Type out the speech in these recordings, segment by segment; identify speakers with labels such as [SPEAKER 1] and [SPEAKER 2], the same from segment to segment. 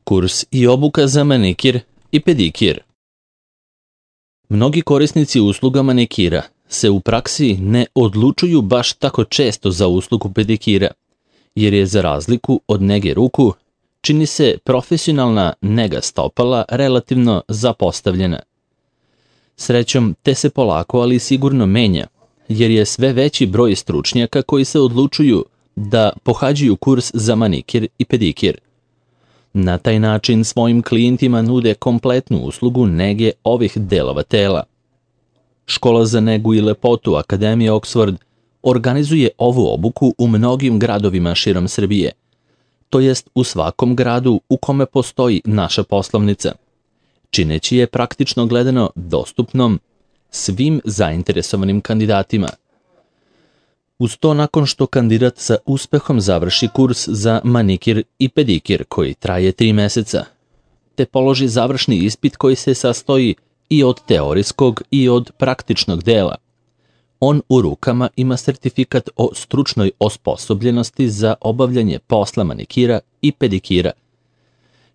[SPEAKER 1] Kurs i obuka za manikir i pedikir. Mnogi korisnici usluga manikira se u praksi ne odlučuju baš tako često za uslugu pedikira, jer je za razliku od nege ruku, čini se profesionalna nega stopala relativno zapostavljena. Srećom, te se polako ali sigurno menja, jer je sve veći broj stručnjaka koji se odlučuju da pohađaju kurs za manikir i pedikir. Na taj način svojim klijentima nude kompletnu uslugu nege ovih delova tela. Škola za negu i lepotu Akademije Oxford organizuje ovu obuku u mnogim gradovima širom Srbije, to jest u svakom gradu u kome postoji naša poslovnica, čineći je praktično gledano dostupnom svim zainteresovanim kandidatima. Uz to, nakon što kandidat sa uspehom završi kurs za manikir i pedikir koji traje 3 meseca, te položi završni ispit koji se sastoji i od teorijskog i od praktičnog dela, on u rukama ima sertifikat o stručnoj osposobljenosti za obavljanje posla manikira i pedikira,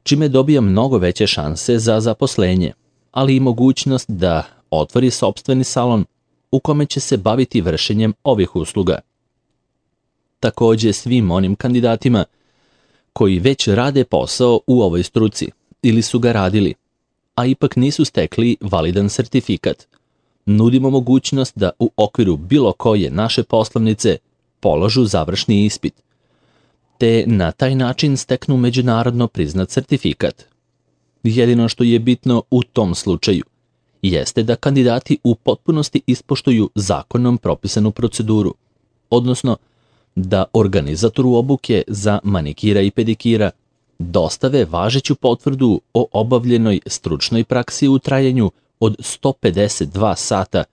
[SPEAKER 1] čime dobija mnogo veće šanse za zaposlenje, ali i mogućnost da otvori sopstveni salon u kome će se baviti vršenjem ovih usluga. Takođe, svim onim kandidatima koji već rade posao u ovoj struci ili su ga radili, a ipak nisu stekli validan sertifikat, nudimo mogućnost da u okviru bilo koje naše poslovnice položu završni ispit, te na taj način steknu međunarodno priznat sertifikat. Jedino što je bitno u tom slučaju jeste da kandidati u potpunosti ispoštuju zakonom propisanu proceduru, odnosno da organizatoru obuke za manikira i pedikira dostave važeću potvrdu o obavljenoj stručnoj praksi u trajanju od 152 sata,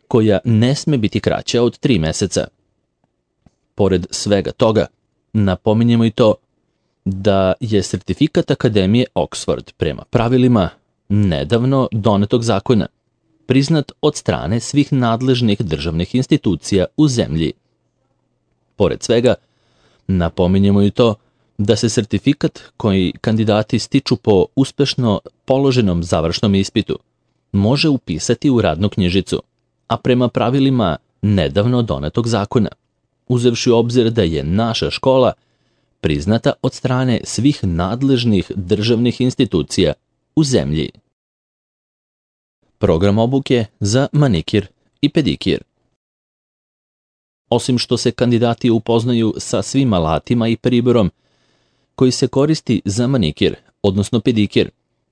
[SPEAKER 1] koja ne sme biti kraća od 3 meseca. Pored svega toga, napominjemo i to da je sertifikat Akademije Oxford prema pravilima nedavno donetog zakona priznat od strane svih nadležnih državnih institucija u zemlji. Pored svega, napominjemo i to da se sertifikat koji kandidati stiču po uspešno položenom završnom ispitu može upisati u radnu knjižicu, a prema pravilima nedavno donetog zakona, uzevši u obzir da je naša škola priznata od strane svih nadležnih državnih institucija u zemlji. Program obuke za manikir i pedikir. Osim što se kandidati upoznaju sa svim alatima i priborom koji se koristi za manikir, odnosno pedikir,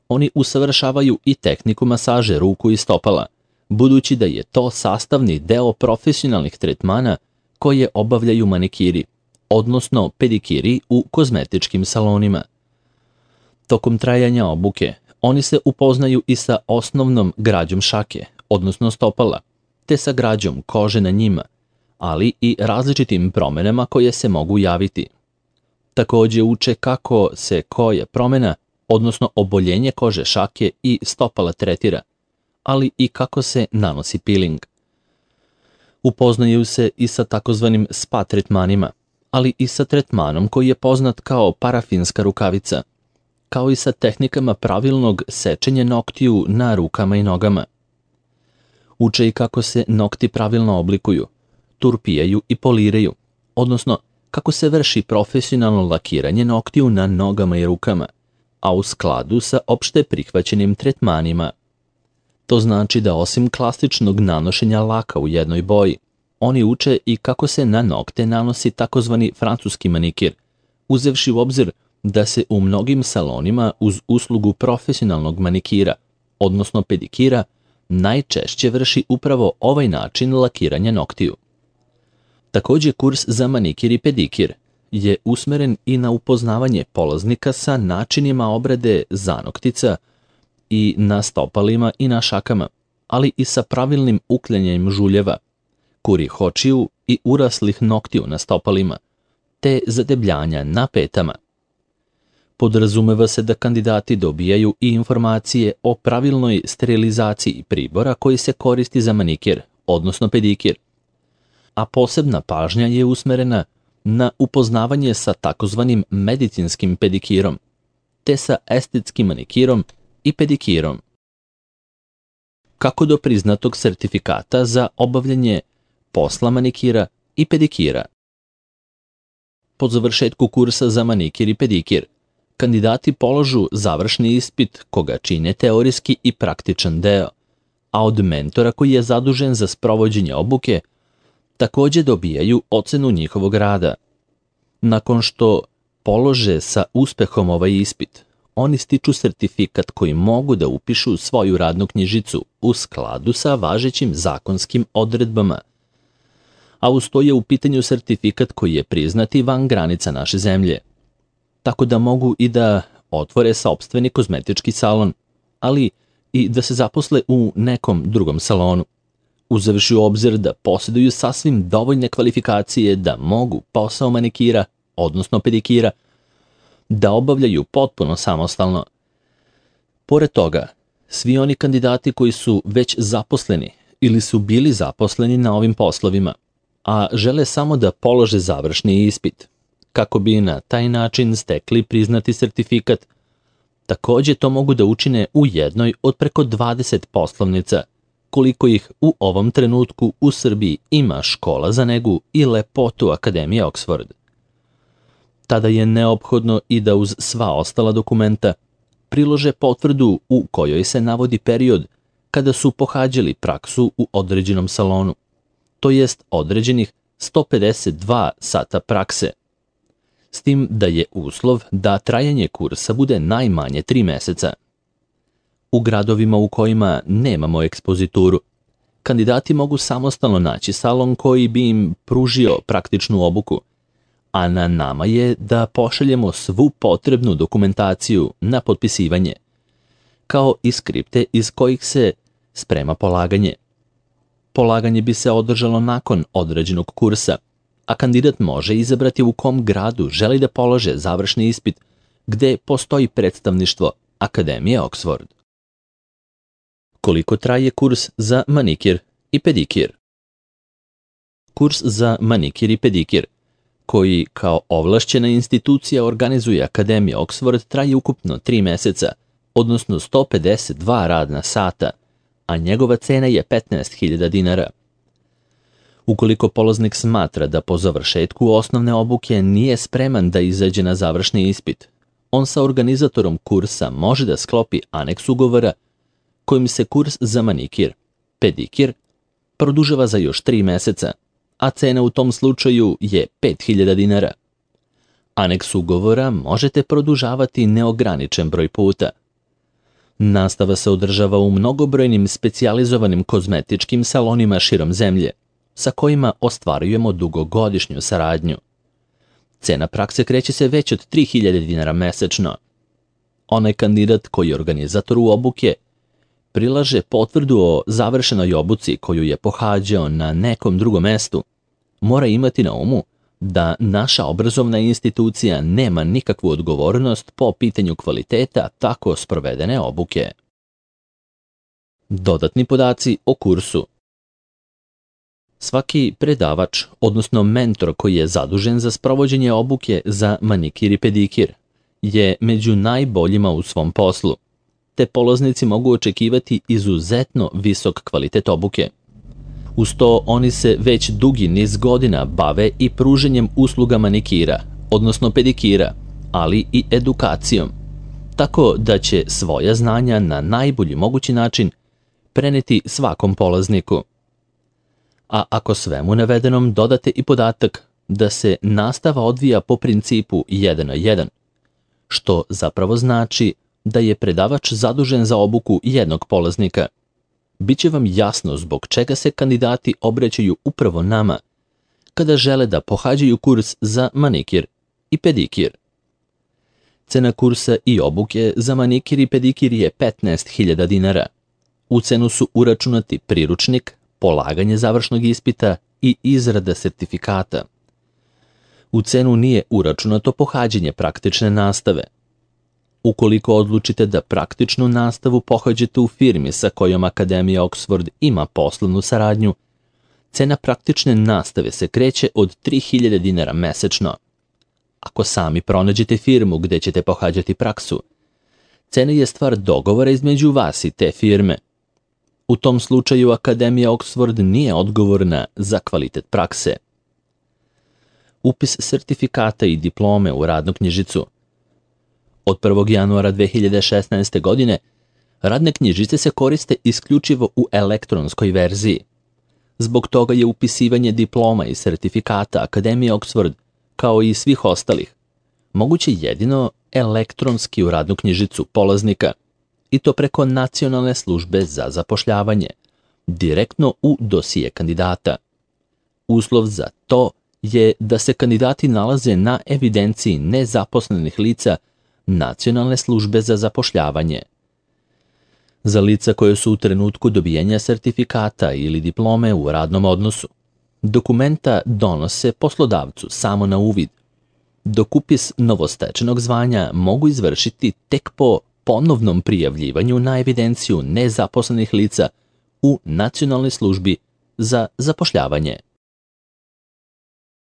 [SPEAKER 1] oni usavršavaju i tehniku masaže ruku i stopala, budući da je to sastavni deo profesionalnih tretmana koje obavljaju manikiri, odnosno pedikiri u kozmetičkim salonima. Tokom trajanja obuke, oni se upoznaju i sa osnovnom građom šake, odnosno stopala, te sa građom kože na njima, ali i različitim promenama koje se mogu javiti. Takođe uče kako se koja promena, odnosno oboljenje kože šake i stopala tretira, ali i kako se nanosi peeling. Upoznaju se i sa takozvanim spa tretmanima, ali i sa tretmanom koji je poznat kao parafinska rukavica, kao i sa tehnikama pravilnog sečenja noktiju na rukama i nogama. Uče i kako se nokti pravilno oblikuju, turpijaju i poliraju, odnosno kako se vrši profesionalno lakiranje noktiju na nogama i rukama, a u skladu sa opšte prihvaćenim tretmanima. To znači da osim klasičnog nanošenja laka u jednoj boji, oni uče i kako se na nokte nanosi takozvani francuski manikir, uzevši u obzir da se u mnogim salonima uz uslugu profesionalnog manikira, odnosno pedikira, najčešće vrši upravo ovaj način lakiranja noktiju. Takođe, kurs za manikir i pedikir je usmeren i na upoznavanje polaznika sa načinima obrade zanoktica i na stopalima i na šakama, ali i sa pravilnim uklanjanjem žuljeva, kurih očiju i uraslih noktiju na stopalima, te zadebljanja na petama. Podrazumeva se da kandidati dobijaju i informacije o pravilnoj sterilizaciji pribora koji se koristi za manikir, odnosno pedikir, a posebna pažnja je usmerena na upoznavanje sa takozvanim medicinskim pedikirom, te sa estetskim manikirom i pedikirom. Kako do priznatog sertifikata za obavljanje posla manikira i pedikira? Po završetku kursa za manikir i pedikir, kandidati polažu završni ispit koga čine teorijski i praktičan deo, a od mentora koji je zadužen za sprovođenje obuke takođe dobijaju ocenu njihovog rada. Nakon što polože sa uspehom ovaj ispit, oni stiču sertifikat koji mogu da upišu svoju radnu knjižicu u skladu sa važećim zakonskim odredbama, a uz to je u pitanju sertifikat koji je priznati van granica naše zemlje, tako da mogu i da otvore sopstveni kozmetički salon, ali i da se zaposle u nekom drugom salonu, uzevši u obzir da posjeduju sasvim dovoljne kvalifikacije da mogu posao manikira, odnosno pedikira, da obavljaju potpuno samostalno. Pored toga, svi oni kandidati koji su već zaposleni ili su bili zaposleni na ovim poslovima, a žele samo da polože završni ispit, kako bi na taj način stekli priznati sertifikat, takođe to mogu da učine u jednoj od preko 20 poslovnica, koliko ih u ovom trenutku u Srbiji ima škola za negu i lepotu Akademije Oxford. Tada je neophodno i da uz sva ostala dokumenta prilože potvrdu u kojoj se navodi period kada su pohađali praksu u određenom salonu, to jest određenih 152 sata prakse, s tim da je uslov da trajanje kursa bude najmanje 3 meseca. U gradovima u kojima nemamo ekspozituru, kandidati mogu samostalno naći salon koji bi im pružio praktičnu obuku, a na nama je da pošaljemo svu potrebnu dokumentaciju na potpisivanje, kao i skripte iz kojih se sprema polaganje. Polaganje bi se održalo nakon određenog kursa, a kandidat može izabrati u kom gradu želi da polože završni ispit, gde postoji predstavništvo Akademije Oxford. Koliko traje kurs za manikir i pedikir? Kurs za manikir i pedikir, koji kao ovlašćena institucija organizuje Akademija Oxford, traje ukupno 3 meseca, odnosno 152 radna sata, a njegova cena je 15.000 dinara. Ukoliko polaznik smatra da po završetku osnovne obuke nije spreman da izađe na završni ispit, on sa organizatorom kursa može da sklopi aneks ugovora kojim se kurs za manikir, pedikir, produžava za još 3 meseca, a cena u tom slučaju je 5.000 dinara. Aneks ugovora možete produžavati neograničen broj puta. Nastava se održava u mnogobrojnim specijalizovanim kozmetičkim salonima širom zemlje, sa kojima ostvarujemo dugogodišnju saradnju. Cena prakse kreće se već od 3.000 dinara mesečno. Onaj kandidat koji je organizator u obuke prilaže potvrdu o završenoj obuci koju je pohađao na nekom drugom mestu, mora imati na umu da naša obrazovna institucija nema nikakvu odgovornost po pitanju kvaliteta tako sprovedene obuke. Dodatni podaci o kursu. Svaki predavač, odnosno mentor koji je zadužen za sprovođenje obuke za manikir i pedikir, je među najboljima u svom poslu, te polaznici mogu očekivati izuzetno visok kvalitet obuke. Uz to oni se već dugi niz godina bave i pruženjem usluga manikira, odnosno pedikira, ali i edukacijom, tako da će svoja znanja na najbolji mogući način preneti svakom polazniku. A ako svemu navedenom dodate i podatak da se nastava odvija po principu 1 na 1, što zapravo znači da je predavač zadužen za obuku jednog polaznika, biće vam jasno zbog čega se kandidati obraćaju upravo nama kada žele da pohađaju kurs za manikir i pedikir. Cena kursa i obuke za manikir i pedikir je 15.000 dinara. U cenu su uračunati priručnik, polaganje završnog ispita i izrada sertifikata. U cenu nije uračunato pohađanje praktične nastave. Ukoliko odlučite da praktičnu nastavu pohađate u firmi sa kojom Akademija Oxford ima poslovnu saradnju, cena praktične nastave se kreće od 3.000 dinara mesečno. Ako sami pronađete firmu gde ćete pohađati praksu, Cena je stvar dogovora između vas i te firme. U tom slučaju Akademija Oxford nije odgovorna za kvalitet prakse. Upis sertifikata i diplome u radnu knjižicu. Od 1. januara 2016. godine radne knjižice se koriste isključivo u elektronskoj verziji. Zbog toga je upisivanje diploma i sertifikata Akademije Oxford, kao i svih ostalih, moguće jedino elektronski u radnu knjižicu polaznika, i to preko Nacionalne službe za zapošljavanje, direktno u dosije kandidata. Uslov za to je da se kandidati nalaze na evidenciji nezaposlenih lica Nacionalne službe za zapošljavanje. Za lica koje su u trenutku dobijenja sertifikata ili diplome u radnom odnosu, dokumenta donose poslodavcu samo na uvid, dok upis novostečenog zvanja mogu izvršiti tek po ponovnom prijavljivanju na evidenciju nezaposlenih lica u Nacionalnoj službi za zapošljavanje.